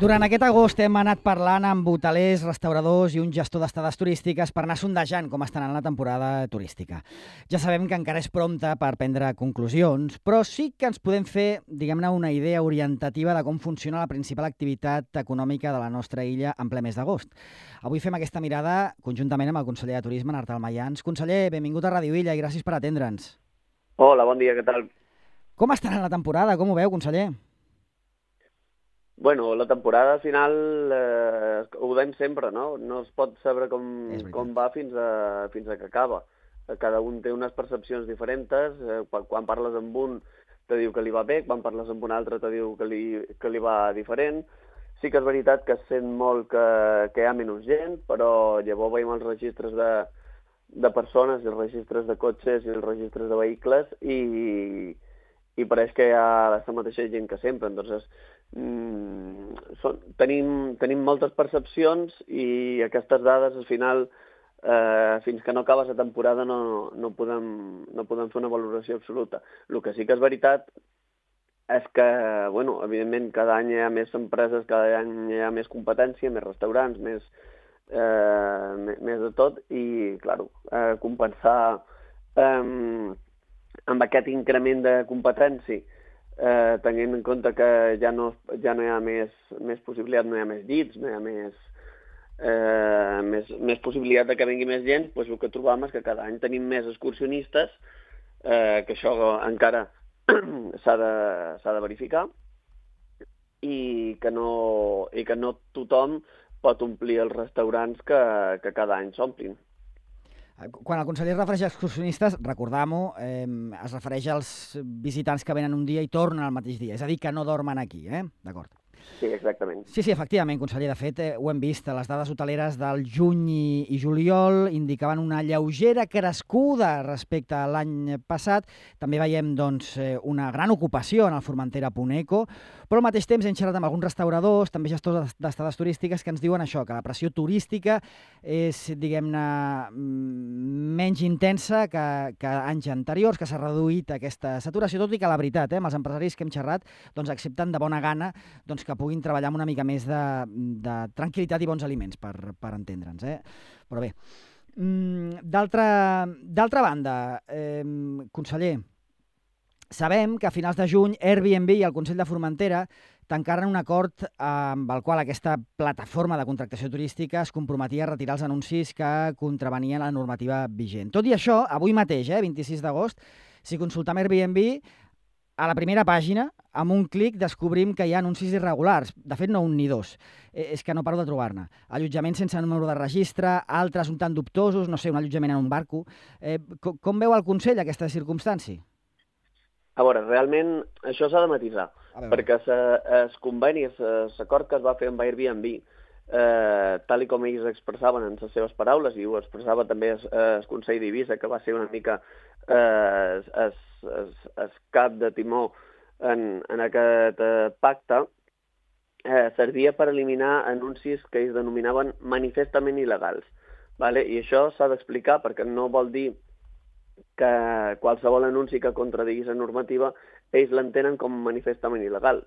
Durant aquest agost hem anat parlant amb hotelers, restauradors i un gestor d'estades turístiques per anar sondejant com estan en la temporada turística. Ja sabem que encara és prompte per prendre conclusions, però sí que ens podem fer, diguem-ne, una idea orientativa de com funciona la principal activitat econòmica de la nostra illa en ple mes d'agost. Avui fem aquesta mirada conjuntament amb el conseller de Turisme, Artal Mayans. Conseller, benvingut a Ràdio Illa i gràcies per atendre'ns. Hola, bon dia, què tal? Com estarà la temporada? Com ho veu, conseller? Bueno, la temporada final ho veiem sempre, no? No es pot saber com va fins a que acaba. Cada un té unes percepcions diferents. Quan parles amb un te diu que li va bé, quan parles amb un altre te diu que li va diferent. Sí que és veritat que es sent molt que hi ha menys gent, però llavors veiem els registres de persones, els registres de cotxes i els registres de vehicles i pareix que hi ha la mateixa gent que sempre. Entonces, tenim moltes percepcions i aquestes dades al final, fins que no acabes la temporada, no podem fer una valoració absoluta. El que sí que és veritat és que, bueno, evidentment, cada any hi ha més empreses, cada any hi ha més competència, més restaurants, més de tot, i, clar, compensar amb aquest increment de competència, tenint en compte que ja no hi ha més possibilitat, no hi ha més llits, no hi ha més possibilitat que vingui més gent, doncs el que trobam és que cada any tenim més excursionistes, que això encara s'ha de verificar, i que no tothom pot omplir els restaurants que cada any s'omplin. Quan el conseller es refereix a excursionistes, recordam-ho, es refereix als visitants que venen un dia i tornen al mateix dia. És a dir, que no dormen aquí, D'acord. Sí, exactament. Sí, efectivament, conseller. De fet, ho hem vist. Les dades hoteleres del juny i juliol indicaven una lleugera crescuda respecte a l'any passat. També veiem, doncs, una gran ocupació en el Formentera Puneco, però al mateix temps hem xerrat amb alguns restauradors, també gestors d'estades turístiques, que ens diuen això, que la pressió turística és, diguem-ne, menys intensa que anys anteriors, que s'ha reduït aquesta saturació, tot i que la veritat, amb els empresaris que hem xerrat, doncs accepten de bona gana que puguin treballar amb una mica més de tranquil·litat i bons aliments, per entendre'ns. Però bé, d'altra banda, conseller, sabem que a finals de juny Airbnb i el Consell de Formentera tancaren un acord amb el qual aquesta plataforma de contractació turística es comprometia a retirar els anuncis que contravenien la normativa vigent. Tot i això, avui mateix, 26 d'agost, si consultem Airbnb, a la primera pàgina, amb un clic, descobrim que hi ha anuncis irregulars. De fet, no un ni dos. És que no paro de trobar-ne. Allotjaments sense número de registre, altres un tant dubtosos, no sé, un allotjament en un barco. Com veu el Consell aquesta circumstància? A veure, realment això s'ha de matisar, perquè el conveni, l'acord que es va fer amb Airbnb, tal com ells expressaven en les seves paraules, i ho expressava també el Consell d'Eivissa, que va ser una mica el cap de timó en aquest pacte, servia per eliminar anuncis que ells denominaven manifestament il·legals. I això s'ha d'explicar perquè no vol dir que qualsevol anunci que contradigui la normativa ells l'entenen com manifestament il·legal.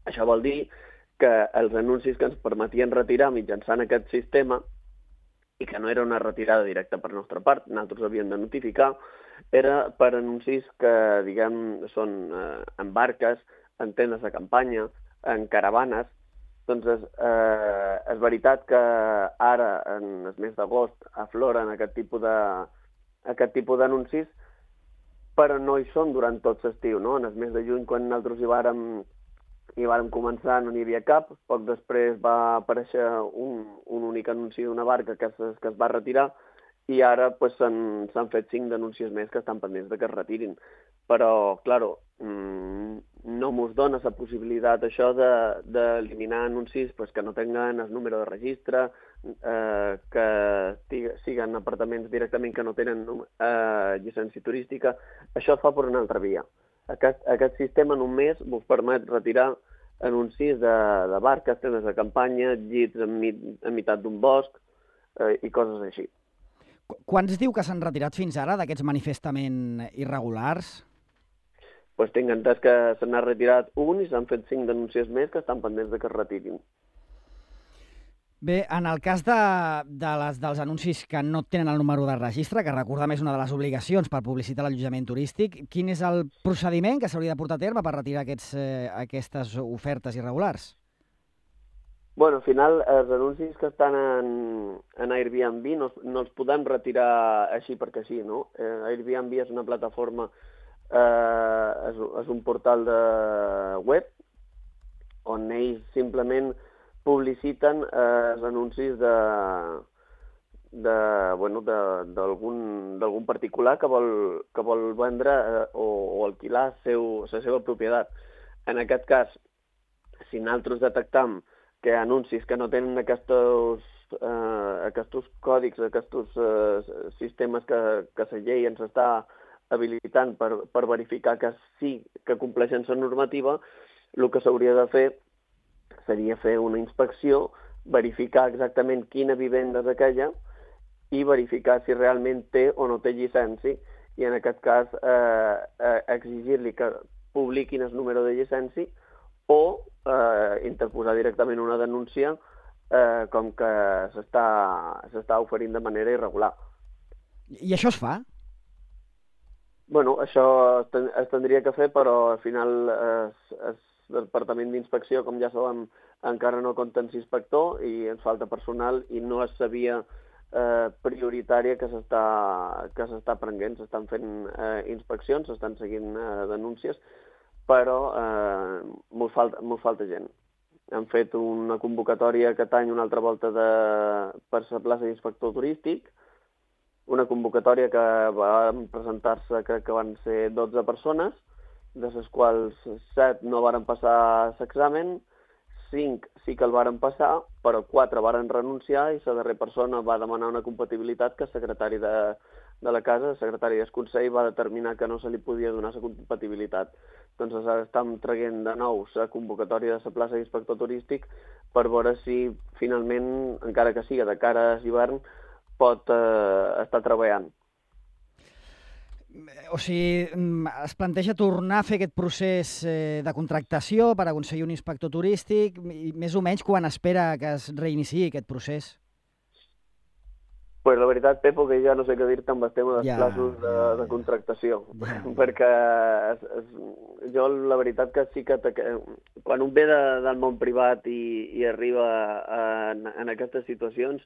Això vol dir que els anuncis que ens permetien retirar mitjançant aquest sistema, i que no era una retirada directa per nostra part, nosaltres havíem de notificar, era per anuncis que, diguem, són en barques, en tendes de campanya, en caravanes. Doncs és veritat que ara, en el mes d'agost, afloren aquest tipus d'anuncis, però no hi són durant tot l'estiu, no? En el mes de juny, quan nosaltres hi vàrem començar, no n'hi havia cap. Poc després va aparèixer un únic anunci d'una barca que es va retirar, i ara s'han fet 5 denúncies més que estan pendents de que es retirin. Però, clar, no mos dona la possibilitat això d'eliminar anuncis que no tenen el número de registre, que siguin apartaments directament que no tenen llicència turística. Això es fa per una altra via. Aquest sistema en un mes vos permet retirar anuncis de barques, tendes de campanya, llits en meitat d'un bosc i coses així. Quants diu que s'han retirat fins ara d'aquests manifestament irregulars? Doncs tinc entès que se n'ha retirat un i s'han fet 5 denúncies més que estan pendents de que es retirin. Bé, en el cas dels anuncis que no tenen el número de registre, que recordem és una de les obligacions per publicitar l'allotjament turístic, quin és el procediment que s'hauria de portar a terme per retirar aquestes ofertes irregulars? Bueno, al final, els anuncis que estan en Airbnb no els podem retirar així perquè sí, no? Airbnb és una plataforma, és un portal de web on ells simplement publiciten els anuncis d'algun particular que vol vendre o alquilar la seva propietat. En aquest cas, si nosaltres detectam que hi ha anuncis que no tenen aquests còdics, aquests sistemes que la llei ens està habilitant per verificar que sí que compleixen la normativa, el que s'hauria de fer seria fer una inspecció, verificar exactament quina vivenda és aquella i verificar si realment té o no té llicència i en aquest cas exigir-li que publiquin el número de llicència o interposar directament una denúncia com que s'està oferint de manera irregular. I això es fa? Bueno, això es tindria que fer, però al final el Departament d'Inspecció, com ja sabem, encara no compta amb inspector i ens falta personal i no és la via prioritària que s'està prenent. S'estan fent inspeccions, s'estan seguint denúncies, però mos falta gent. Hem fet una convocatòria aquest any una altra volta per la plaça d'inspector turístic, una convocatòria que van presentar-se, crec que van ser 12 persones, de les quals 7 no varen passar l'examen, 5 sí que el varen passar, però 4 varen renunciar i la darrera persona va demanar una compatibilitat que el secretari de la casa, el secretari del Consell, va determinar que no se li podia donar la compatibilitat. Doncs ara estem traient de nou la convocatòria de la plaça d'inspector turístic per veure si finalment, encara que sigui de cara a l'hivern, pot estar treballant. O sigui, es planteja tornar a fer aquest procés de contractació per aconseguir un inspector turístic i més o menys quan espera que es reiniciï aquest procés? Pues la veritat, Pepo, que ja no sé què dir-te amb el tema dels plaços de contractació, perquè jo la veritat que sí que quan un ve del món privat i arriba en aquestes situacions,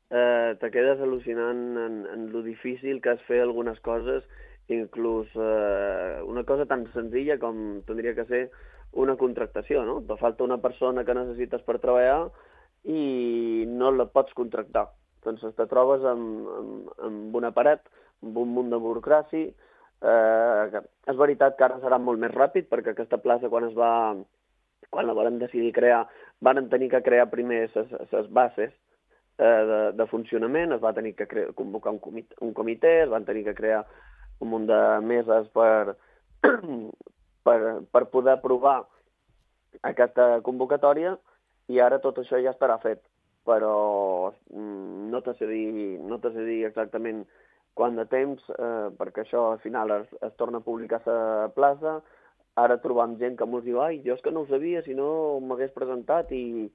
te quedes al·lucinant en lo difícil que és fer algunes coses, inclús una cosa tan senzilla com tindria que ser una contractació, no? Te falta una persona que necessites per treballar i no la pots contractar. Doncs te trobes amb una paret, amb un munt de burocràcia. És veritat que ara serà molt més ràpid, perquè aquesta plaça, quan la van decidir crear, van tenir que crear primer les bases de funcionament, es va tenir que convocar un comitè, es van tenir que crear un munt de meses per poder aprovar aquesta convocatòria i ara tot això ja estarà fet. Però no te sé dir exactament quant de temps, perquè això al final es torna a publicar a la plaça. Ara trobam gent que ens diu ai, jo és que no ho sabia, si no m'hagués presentat i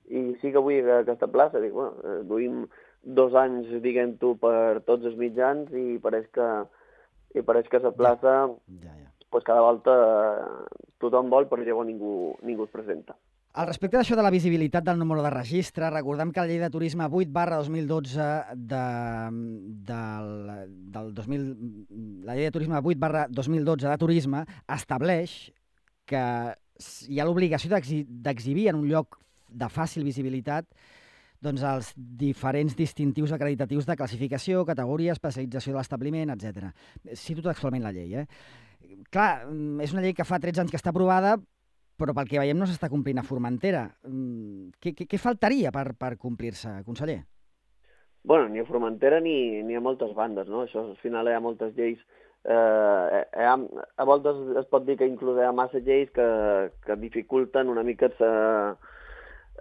sí que vull aquesta plaça. Dic, bueno, duim 2 anys, diguem-ho, per tots els mitjans i pareix que la plaça, pues cada volta tothom vol, però llavors ningú es presenta. Al respecte d'això de la visibilitat del número de registre, recordem que la llei de turisme 8/2012 la llei de turisme 8/2012 de turisme estableix que hi ha l'obligació d'exhibir en un lloc de fàcil visibilitat doncs, els diferents distintius acreditatius de classificació, categoria, especialització de l'establiment, etc. Cito textualment la llei. Clar, és una llei que fa 13 anys que està aprovada, però pel que veiem no s'està complint a Formentera. Què faltaria per complir-se, conseller? Bueno, ni a Formentera ni a moltes bandes, no? Això, al final hi ha moltes lleis. A voltes es pot dir que inclús hi ha massa lleis que dificulten una mica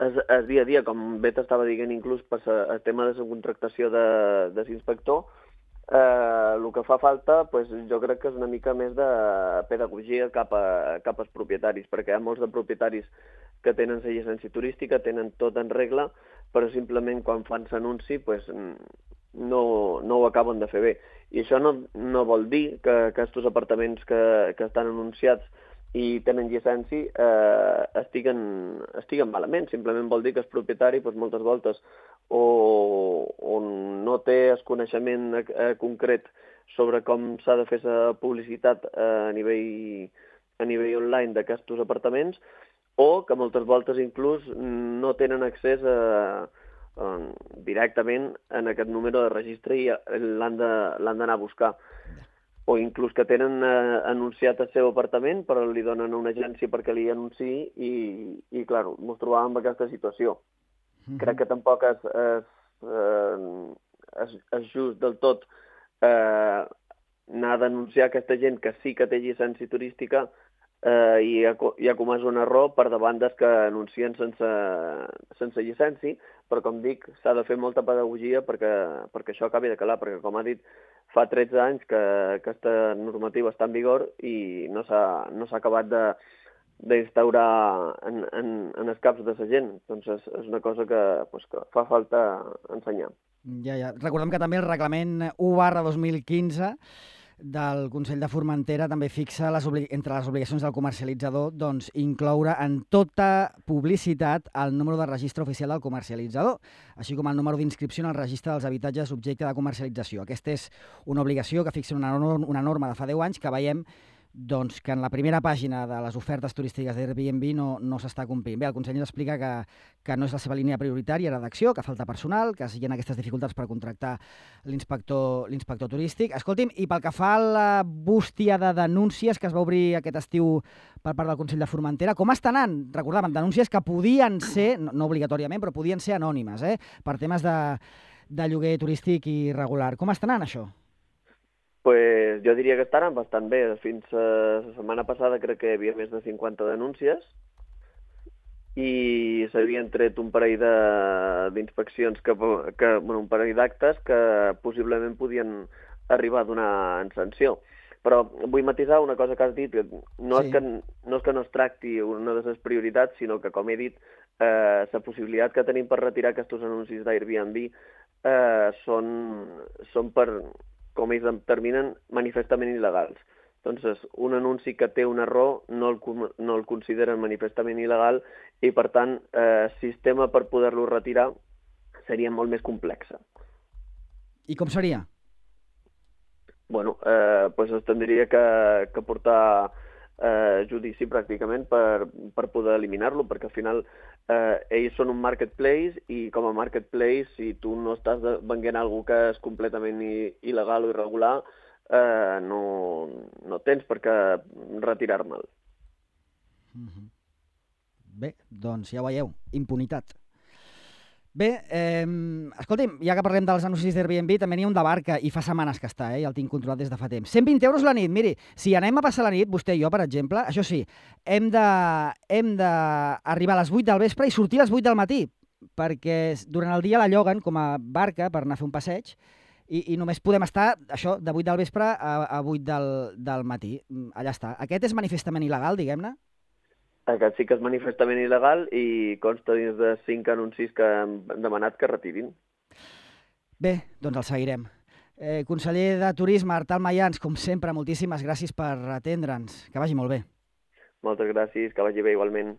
el dia a dia, com bé t'estava dient inclús per el tema de la contractació de l'inspector. El que fa falta, doncs, jo crec que és una mica més de pedagogia cap als propietaris, perquè hi ha molts de propietaris que tenen la llicència turística, tenen tot en regla, però simplement quan fan l'anunci doncs, no ho acaben de fer bé. I això no vol dir que aquests apartaments que estan anunciats i tenen llicència estiguen malament. Simplement vol dir que el propietari doncs, moltes voltes o no té el coneixement concret sobre com s'ha de fer la publicitat a nivell online d'aquests apartaments, o que moltes voltes inclús no tenen accés directament en aquest número de registre i l'han d'anar a buscar. O inclús que tenen anunciat el seu apartament, però li donen a una agència perquè li anunciï i clar, ens trobàvem en aquesta situació. Crec que tampoc és just del tot anar a denunciar aquesta gent que sí que té llicència turística i ha comès un error per davant dels que anuncien sense llicència, però com dic, s'ha de fer molta pedagogia perquè això acabi de calar, perquè com ha dit, fa 13 anys que aquesta normativa està en vigor i no s'ha acabat d'instaurar en els caps de la gent. Doncs és una cosa que fa falta ensenyar. Ja. Recordem que també el reglament 1/2015 del Consell de Formentera també fixa entre les obligacions del comercialitzador doncs, incloure en tota publicitat el número de registre oficial del comercialitzador, així com el número d'inscripció en el registre dels habitatges objecte de comercialització. Aquesta és una obligació que fixa una norma de fa 10 anys que veiem doncs, que en la primera pàgina de les ofertes turístiques d'Airbnb no s'està complint. Bé, el conseller explica que no és la seva línia prioritària d'acció, que falta personal, que hi ha aquestes dificultats per contractar l'inspector turístic. Escolti'm, i pel que fa a la bústia de denúncies que es va obrir aquest estiu per part del Consell de Formentera, com està anant? Recordàvem, denúncies que podien ser, no obligatòriament, però podien ser anònimes, per temes de lloguer turístic irregular. Com està anant això? Pues jo diria que estaran bastant bé. Fins la setmana passada crec que hi havia més de 50 denúncies i s'havien tret un parell d'inspeccions, un parell d'actes que possiblement podien arribar a donar en sanció. Però vull matisar una cosa que has dit, que no és que no es tracti una de les prioritats, sinó que, com he dit, la possibilitat que tenim per retirar aquests anuncis d'Airbnb són per, com ells determinen, manifestament il·legals. Doncs un anunci que té un error no el consideren manifestament il·legal i, per tant, el sistema per poder-lo retirar seria molt més complex. I com seria? Bueno, doncs es tindria que portar judici pràcticament per poder eliminar-lo, perquè al final ells són un marketplace i com a marketplace, si tu no estàs venent alguna que és completament il·legal o irregular, no tens per què retirar-me'l. Bé, doncs ja ho veieu, impunitat. Bé, escolti'm, ja que parlem dels anuncis d'Airbnb, també n'hi ha un de Barca i fa setmanes que està, ja el tinc controlat des de fa temps. 120 euros la nit, miri, si anem a passar la nit, vostè i jo, per exemple, això sí, hem d'arribar a les 8 del vespre i sortir a les 8 del matí, perquè durant el dia la lloguen com a barca per anar a fer un passeig i només podem estar, això, de 8 del vespre a 8 del matí. Allà està. Aquest és manifestament il·legal, diguem-ne? Aquest sí que és manifestament il·legal i consta dins de 5 anuncis que han demanat que retirin. Bé, doncs el seguirem. Conseller de Turisme, Artal Mayans, com sempre, moltíssimes gràcies per atendre'ns. Que vagi molt bé. Moltes gràcies, que vagi bé igualment.